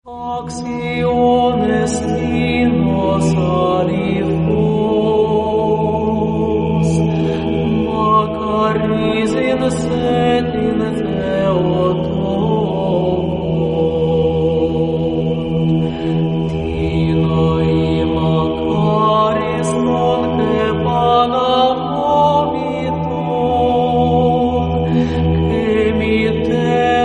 Acciones dinos alifos, Macaris in setin theoton, Tina I Macaris non te pagamoviton, que mitterat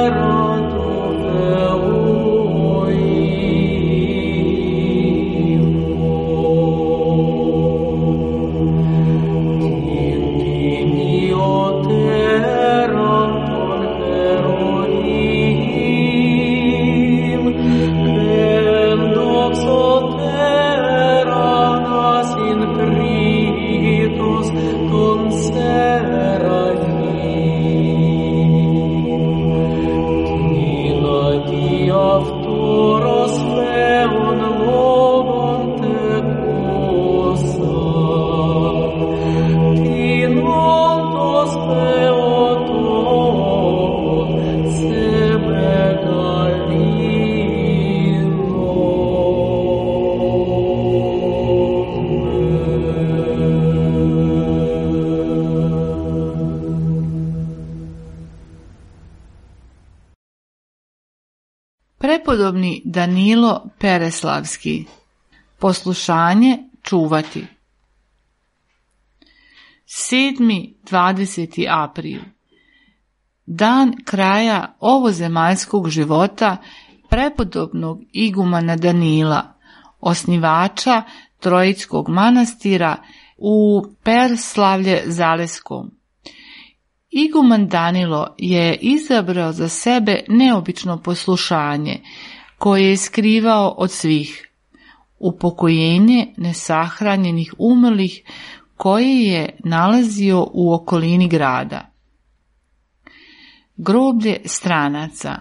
Prepodobni Danilo Pereslavski. Poslušanje čuvati. 7.20. april. Dan kraja ovozemaljskog života prepodobnog igumana Danila, osnivača Trojickog manastira u Pereslavlje-Zaleskom. Iguman Danilo je izabrao za sebe neobično poslušanje, koje je skrivao od svih, upokojenje nesahranjenih umrlih koje je nalazio u okolini grada. Groblje stranaca.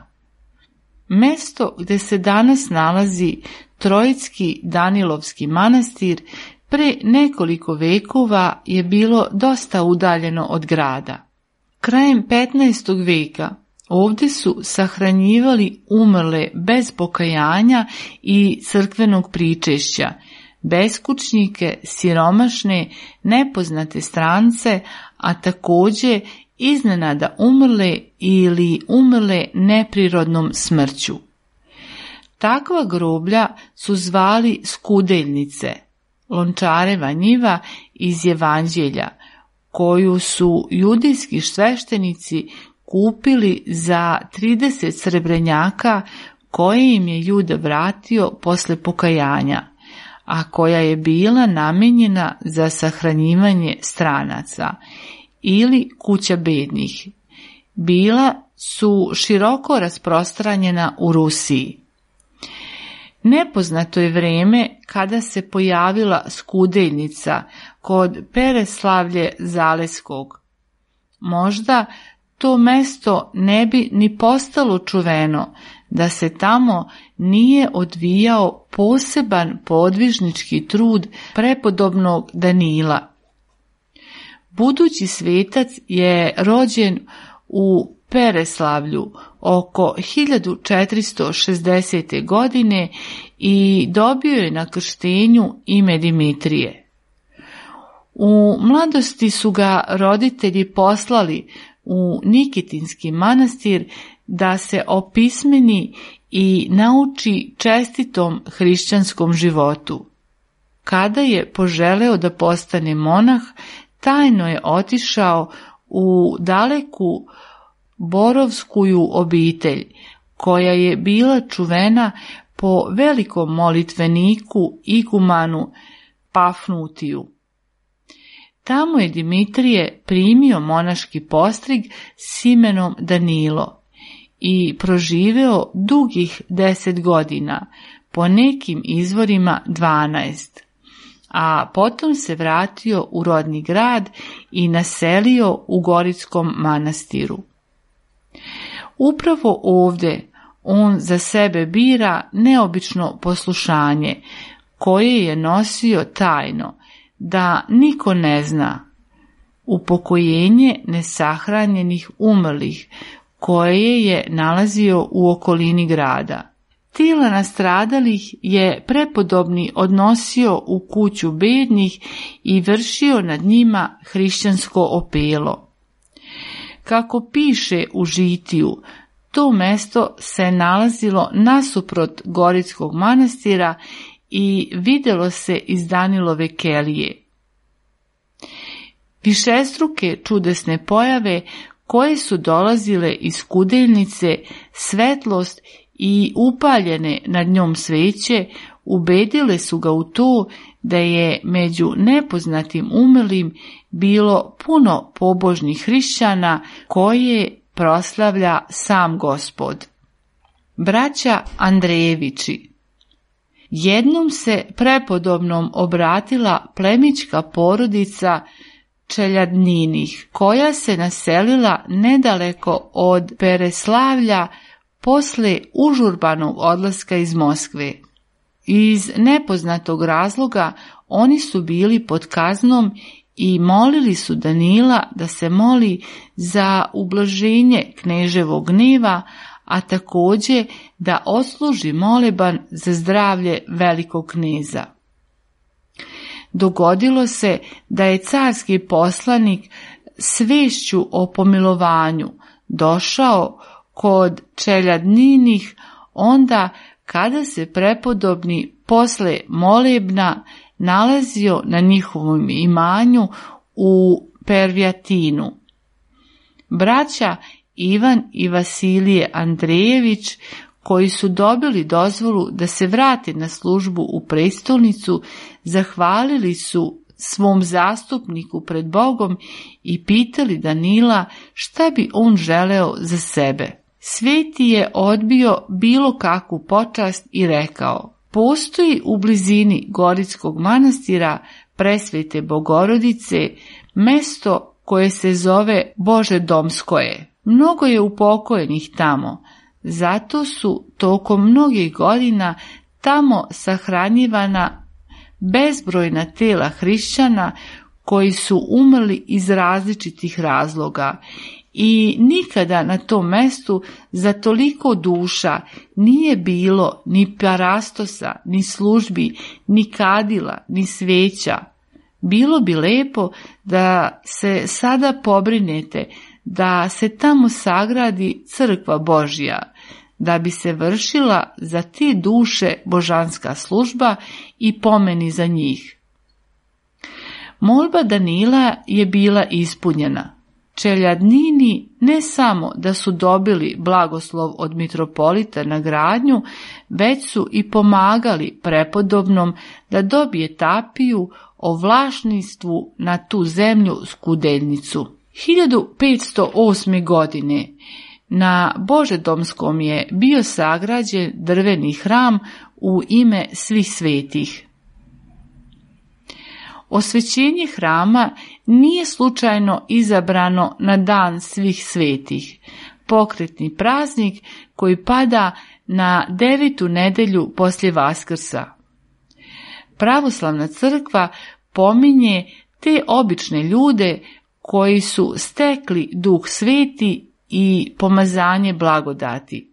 Mesto gde se danas nalazi Trojicki Danilovski manastir pre nekoliko vekova je bilo dosta udaljeno od grada. Krajem 15. veka ovdje su sahranjivali umrle bez pokajanja i crkvenog pričešća, beskućnike, siromašne, nepoznate strance, a također iznenada umrle ili umrle neprirodnom smrću. Takva groblja su zvali skudeljnice, Lončareva njiva iz Evanđelja, koju su judijski sveštenici kupili za 30 srebrenjaka koje im je Juda vratio posle pokajanja, a koja je bila namijenjena za sahranjivanje stranaca ili kuća bednih. Bila su široko rasprostranjena u Rusiji. Nepoznato je vrijeme kada se pojavila skudeljnica kod Pereslavlje-Zaleskog. Možda to mesto ne bi ni postalo čuveno da se tamo nije odvijao poseban podvižnički trud prepodobnog Danila. Budući svetac je rođen u Pereslavlju oko 1460. godine i dobio je na krštenju ime Dimitrije. U mladosti su ga roditelji poslali u Nikitinski manastir da se opismeni i nauči čestitom hrišćanskom životu. Kada je poželeo da postane monah, tajno je otišao u daleku borovskuju obitelj, koja je bila čuvena po velikom molitveniku igumanu Pafnutiju. Tamo je Dimitrije primio monaški postrig s imenom Danilo i proživeo dugih 10 godina, po nekim izvorima 12, a potom se vratio u rodni grad i naselio u Gorickom manastiru. Upravo ovdje on za sebe bira neobično poslušanje, koje je nosio tajno, da niko ne zna, upokojenje nesahranjenih umrlih koje je nalazio u okolini grada. Tijela nastradalih je prepodobni odnosio u kuću bednih i vršio nad njima hrišćansko opelo. Kako piše u Žitiju, to mesto se nalazilo nasuprot Goritskog manastira i vidjelo se iz Danilove kelije. Višestruke čudesne pojave koje su dolazile iz kudeljnice, svetlost i upaljene nad njom sveće, ubedile su ga u to da je među nepoznatim umrlim bilo puno pobožnih hrišćana koje proslavlja sam Gospod. Braća Andrejevići. Jednom se prepodobnom obratila plemićka porodica Čeljadninih, koja se naselila nedaleko od Pereslavlja posle užurbanog odlaska iz Moskve. Iz nepoznatog razloga oni su bili pod kaznom i molili su Danila da se moli za ublaženje kneževog gneva, a također da odsluži moleban za zdravlje velikog kneza. Dogodilo se da je carski poslanik s vešću o pomilovanju došao kod Čeljadninih onda kada se prepodobni posle molebna nalazio na njihovom imanju u Pervjatinu. Braća Ivan i Vasilije Andrejević, koji su dobili dozvolu da se vrate na službu u prestolnicu, zahvalili su svom zastupniku pred Bogom i pitali Danila šta bi on želeo za sebe. Sveti je odbio bilo kakvu počast i rekao: postoji u blizini Goritskog manastira Presvete Bogorodice mesto koje se zove Božedomskoje. Mnogo je upokojenih tamo, zato su tokom mnogih godina tamo sahranjivana bezbrojna tela hrišćana koji su umrli iz različitih razloga i nikada na tom mestu za toliko duša nije bilo ni parastosa, ni službi, ni kadila, ni sveća. Bilo bi lepo da se sada pobrinete da se tamo sagradi crkva Božja, da bi se vršila za te duše božanska služba i pomeni za njih. Molba Danila je bila ispunjena. Čeljadnini ne samo da su dobili blagoslov od mitropolita na gradnju, već su i pomagali prepodobnom da dobije tapiju o vlasništvu na tu zemlju Skudeljnicu. 1508. godine na Božedomskom je bio sagrađen drveni hram u ime svih svetih. Osvećenje hrama nije slučajno izabrano na dan svih svetih, pokretni praznik koji pada na 9. nedelju poslije Vaskrsa. Pravoslavna crkva pominje te obične ljude koji su stekli Duh Sveti i pomazanje blagodati.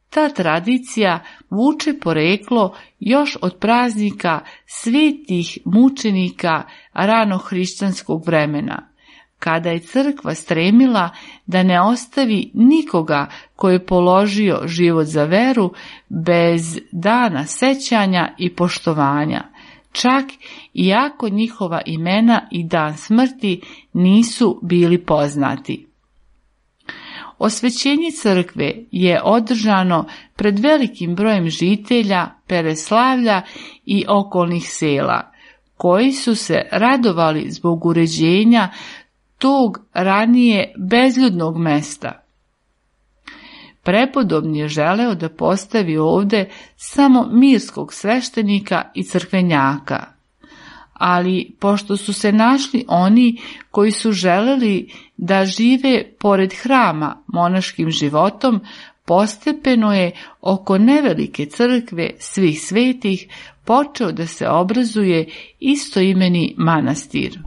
Ta tradicija vuče poreklo još od praznika svetih mučenika ranohrišćanskog vremena, kada je crkva stremila da ne ostavi nikoga koji je položio život za veru bez dana sećanja i poštovanja, čak iako njihova imena i dan smrti nisu bili poznati. Osvećenje crkve je održano pred velikim brojem žitelja Pereslavlja i okolnih sela, koji su se radovali zbog uređenja tog ranije bezljudnog mesta. Prepodobni je želeo da postavi ovdje samo mirskog sveštenika i crkvenjaka, ali pošto su se našli oni koji su želeli da žive pored hrama monaškim životom, postepeno je oko nevelike crkve svih svetih počeo da se obrazuje istoimeni manastir.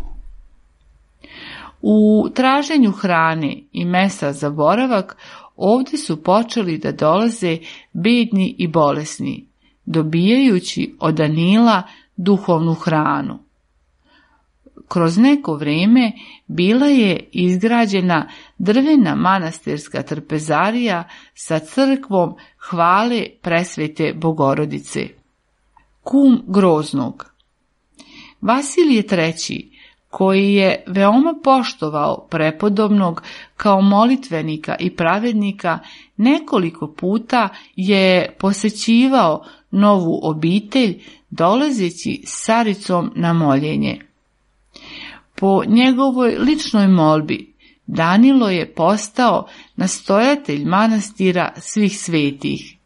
U traženju hrane i mesa za boravak ovdje su počeli da dolaze bedni i bolesni, dobijajući od Danila duhovnu hranu. Kroz neko vrijeme bila je izgrađena drvena manastirska trpezarija sa crkvom Hvale Presvete Bogorodice. Kum Groznog. Vasilije III, koji je veoma poštovao prepodobnog kao molitvenika i pravednika, nekoliko puta je posećivao novu obitelj, dolazeći s caricom na moljenje. Po njegovoj ličnoj molbi, Danilo je postao nastojatelj manastira svih svetih.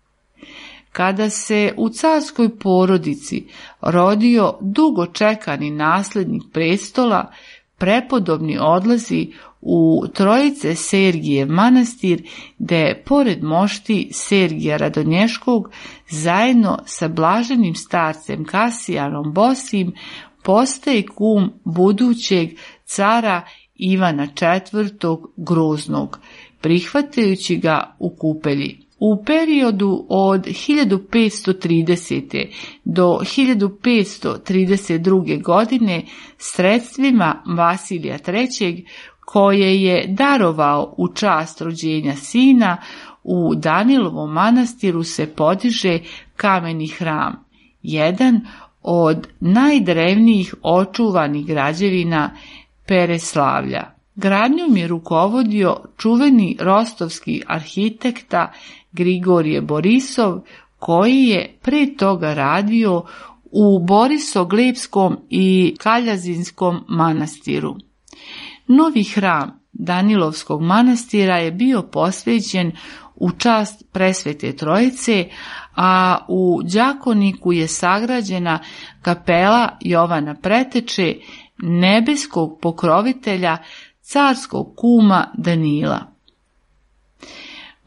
Kada se u carskoj porodici rodio dugo čekani nasljednik prestola, prepodobni odlazi u Trojice Sergijev manastir, gde pored mošti Sergija Radonješkog zajedno sa blaženim starcem Kasijanom Bosim postaje kum budućeg cara Ivana IV. Groznog, prihvatajući ga u Kupelji. U periodu od 1530. do 1532. godine sredstvima Vasilija III, koje je darovao u čast rođenja sina, u Danilovom manastiru se podiže kameni hram, jedan od najdrevnijih očuvanih građevina Pereslavlja. Gradnjom je rukovodio čuveni rostovski arhitekta Grigorije Borisov, koji je pre toga radio u Borisoglebskom i Kaljazinskom manastiru. Novi hram Danilovskog manastira je bio posvećen u čast Presvete Trojice, a u Đakoniku je sagrađena kapela Jovana Preteče, nebeskog pokrovitelja carskog kuma Danila.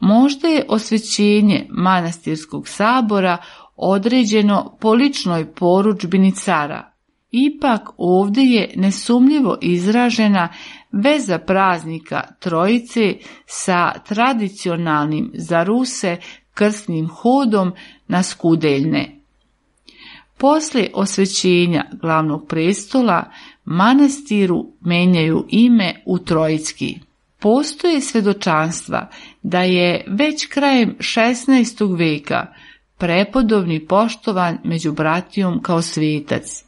Možda je osvećenje manastirskog sabora određeno po ličnoj porudžbini cara, ipak ovdje je nesumnjivo izražena veza praznika Trojice sa tradicionalnim za Ruse krsnim hodom na Skudeljne. Poslije osvećenja glavnog prestola, manastiru menjaju ime u Trojicki. Postoje svjedočanstva da je već krajem 16. veka prepodobni poštovan među bratijom kao svetac.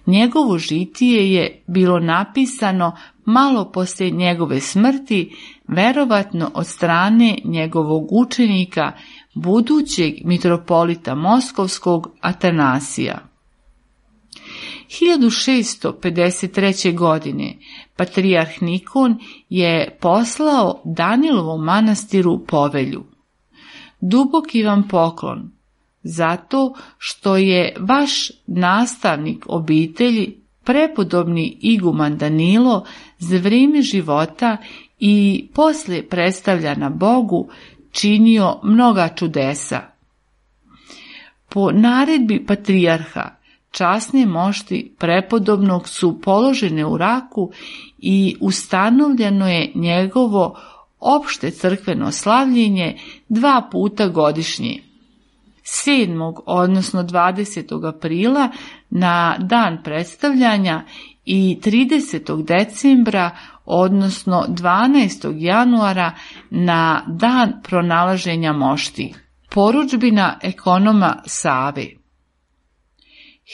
Njegovo žitije je bilo napisano malo poslije njegove smrti, verovatno od strane njegovog učenika, budućeg mitropolita Moskovskog Atanasija. 1653. godine patrijarh Nikon je poslao Danilovom manastiru povelju: duboki vam poklon, zato što je vaš nastavnik obitelji, prepodobni iguman Danilo, za vrijeme života i poslije predstavljanja Bogu činio mnoga čudesa. Po naredbi patrijarha, časne mošti prepodobnog su položene u Raku i ustanovljeno je njegovo opšte crkveno slavljenje 2 puta godišnje. 7. odnosno 20. aprila na dan predstavljanja i 30. decembra odnosno 12. januara na dan pronalaženja mošti. Porudžbina ekonoma Save.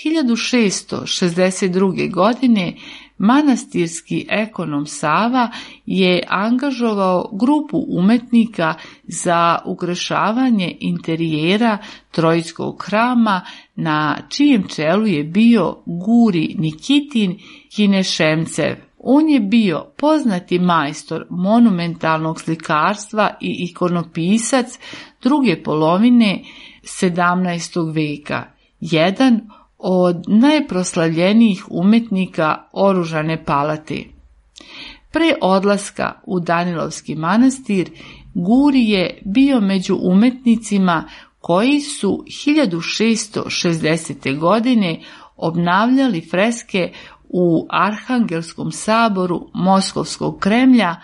1662. godine manastirski ekonom Sava je angažovao grupu umetnika za ukrašavanje interijera Trojskog hrama, na čijem čelu je bio Guri Nikitin Kinešemcev. On je bio poznati majstor monumentalnog slikarstva i ikonopisac druge polovine 17. veka, jedan od najproslavljenijih umetnika oružane palate. Pre odlaska u Danilovski manastir, Guri je bio među umetnicima koji su 1660. godine obnavljali freske u Arhangelskom saboru Moskovskog Kremlja,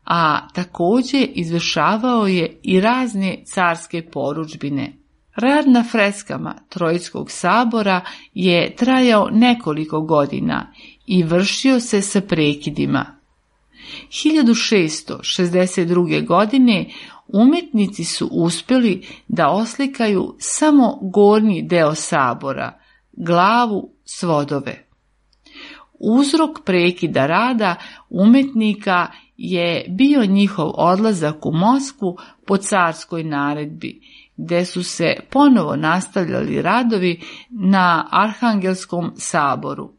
a također izvršavao je i razne carske porudžbine. Rad na freskama Trojskog sabora je trajao nekoliko godina i vršio se sa prekidima. 1662. godine umjetnici su uspjeli da oslikaju samo gornji deo sabora, glavu, svodove. Uzrok prekida rada umjetnika je bio njihov odlazak u Moskvu po carskoj naredbi, gdje su se ponovo nastavljali radovi na Arhangelskom saboru.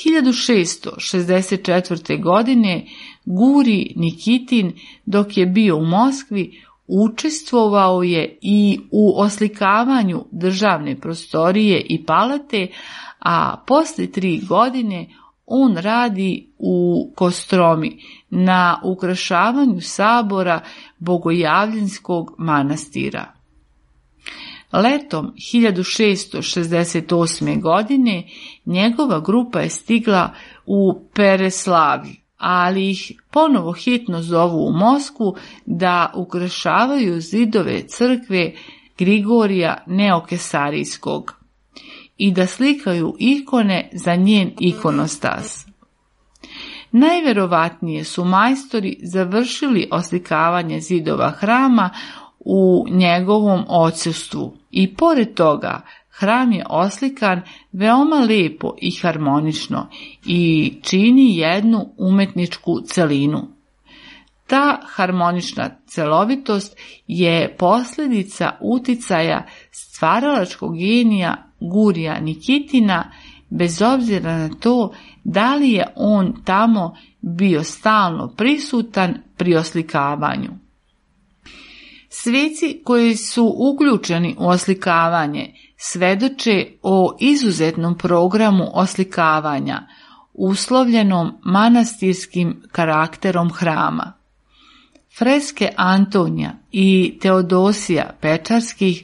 1664. godine Guri Nikitin, dok je bio u Moskvi, učestvovao je i u oslikavanju državne prostorije i palate, a poslije 3 godine on radi u Kostromi na ukrašavanju sabora Bogojavljenskog manastira. Letom 1668. godine njegova grupa je stigla u Pereslavlj, ali ih ponovo hitno zovu u Moskvu da ukrašavaju zidove crkve Grigorija Neokesarijskog i da slikaju ikone za njen ikonostas. Najvjerovatnije su majstori završili oslikavanje zidova hrama u njegovom odsustvu i pored toga hram je oslikan veoma lijepo i harmonično i čini jednu umetničku celinu. Ta harmonična celovitost je posljedica uticaja stvaralačkog genija Gurija Nikitina, bez obzira na to da li je on tamo bio stalno prisutan pri oslikavanju. Sveci koji su uključeni u oslikavanje svedoče o izuzetnom programu oslikavanja, uslovljenom manastirskim karakterom hrama. Freske Antonija i Teodosija Pečarskih,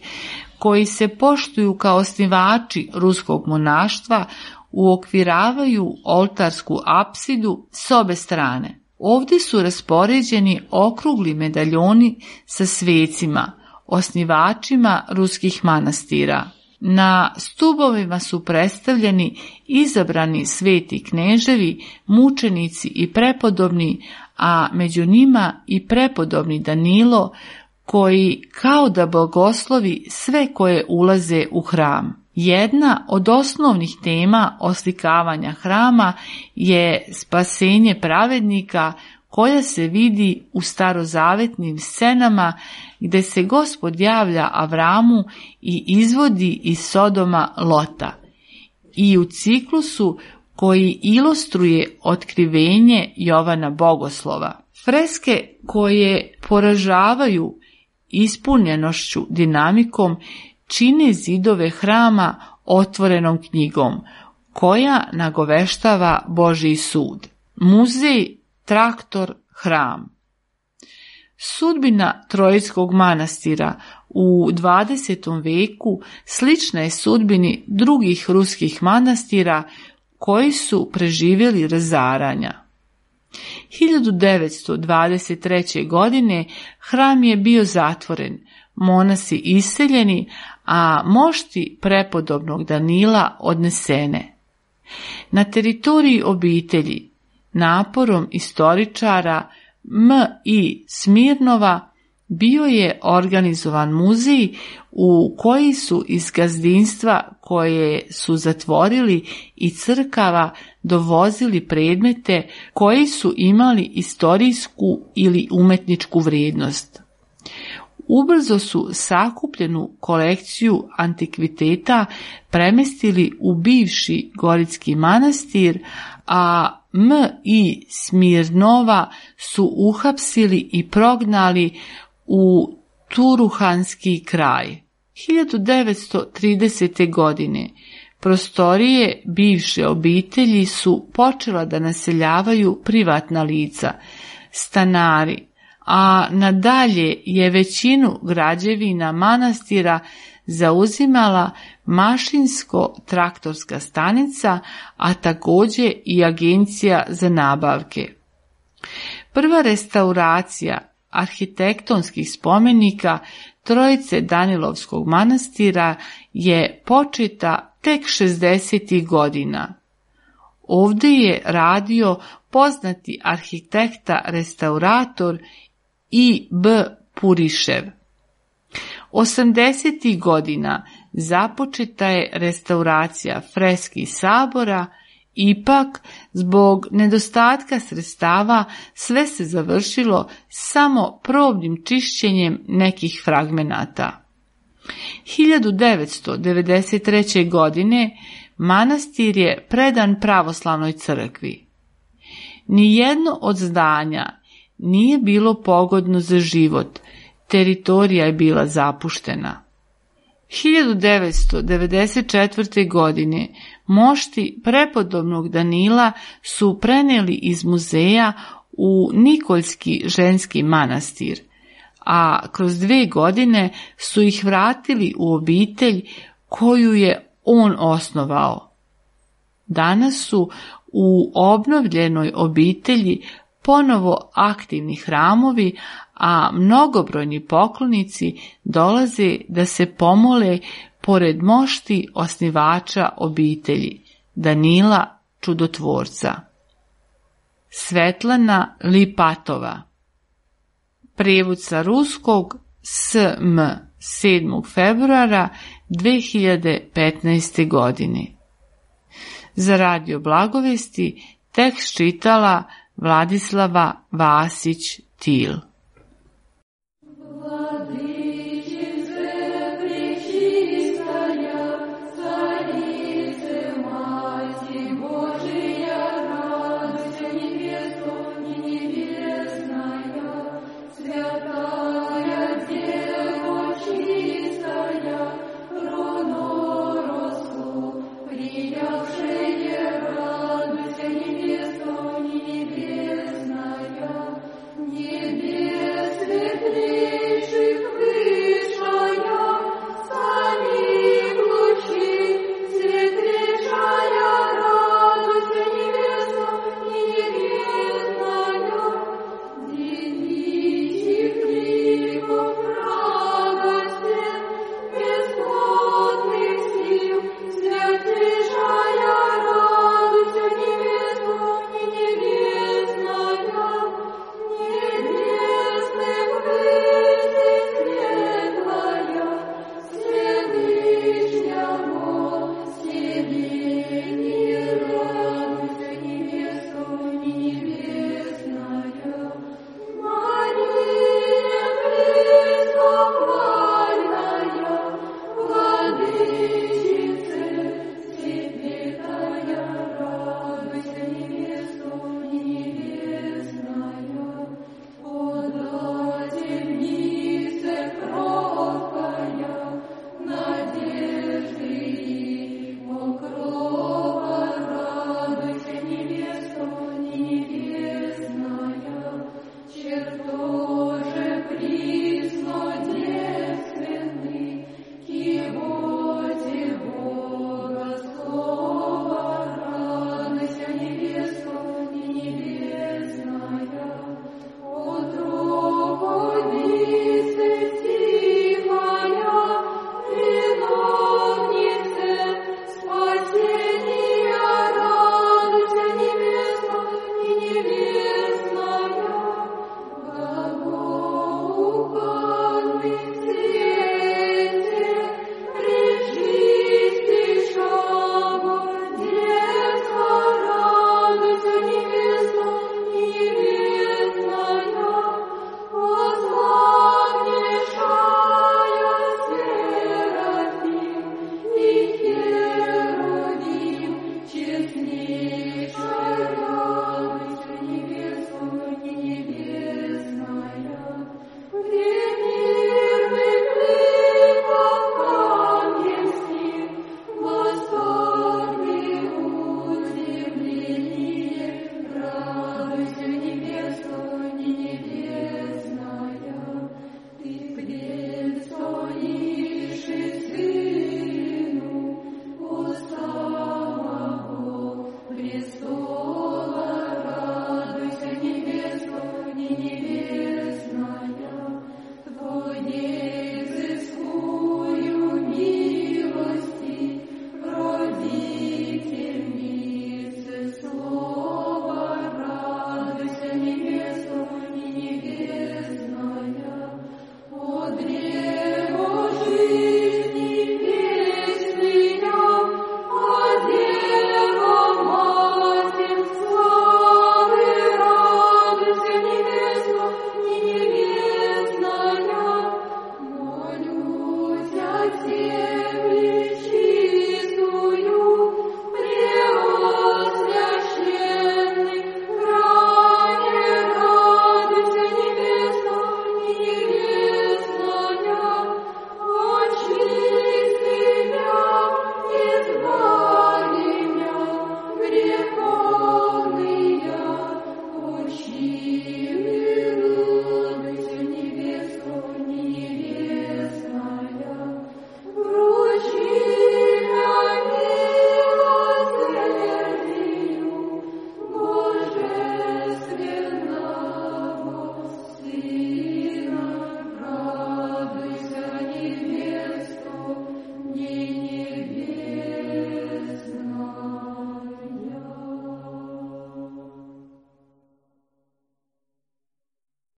koji se poštuju kao osnivači ruskog monaštva, uokviravaju oltarsku apsidu s obe strane. Ovdje su raspoređeni okrugli medaljoni sa svecima, osnivačima ruskih manastira. Na stubovima su predstavljeni izabrani sveti kneževi, mučenici i prepodobni, a među njima i prepodobni Danilo, koji kao da blagoslovi sve koje ulaze u hram. Jedna od osnovnih tema oslikavanja hrama je spasenje pravednika, koja se vidi u starozavetnim scenama gdje se Gospod javlja Avramu i izvodi iz Sodoma Lota, i u ciklusu koji ilustruje otkrivenje Jovana Bogoslova. Freske koje poražavaju ispunjenošću dinamikom čine zidove hrama otvorenom knjigom, koja nagoveštava Božji sud. Muzej, traktor, hram. Sudbina Trojskog manastira u 20. veku slična je sudbini drugih ruskih manastira koji su preživjeli razaranja. 1923. godine hram je bio zatvoren, monasi iseljeni, a mošti prepodobnog Danila odnesene. Na teritoriji obitelji, naporom istoričara M.I. Smirnova, bio je organizovan muzej u koji su iz gazdinstva koje su zatvorili i crkava dovozili predmete koji su imali istorijsku ili umetničku vrijednost. Ubrzo su sakupljenu kolekciju antikviteta premestili u bivši Goritski manastir, a M.I. Smirnova su uhapsili i prognali u Turuhanski kraj. 1930. godine prostorije bivše obitelji su počela da naseljavaju privatna lica, stanari, a nadalje je većinu građevina manastira zauzimala mašinsko-traktorska stanica, a također i agencija za nabavke. Prva restauracija arhitektonskih spomenika Trojice Danilovskog manastira je početa tek 60. godina. Ovdje je radio poznati arhitekta restaurator I.B. Purišev. 80. godina započeta je restauracija freski sabora, ipak zbog nedostatka sredstava sve se završilo samo probnim čišćenjem nekih fragmenata. 1993. godine manastir je predan pravoslavnoj crkvi. Nijedno od zdanja nije bilo pogodno za život, teritorija je bila zapuštena. 1994. godine mošti prepodobnog Danila su prenijeli iz muzeja u Nikoljski ženski manastir, a kroz 2 godine su ih vratili u obitelj koju je on osnovao. Danas su u obnovljenoj obitelji ponovo aktivni hramovi, a mnogobrojni poklonici dolaze da se pomole pored mošti osnivača obitelji, Danila Čudotvorca. Svetlana Lipatova. Prijevod sa ruskog SM 7. februara 2015. godine. Za Radio Blagovesti tekst čitala Vladislava Vasić-Til. Небесная, Grazie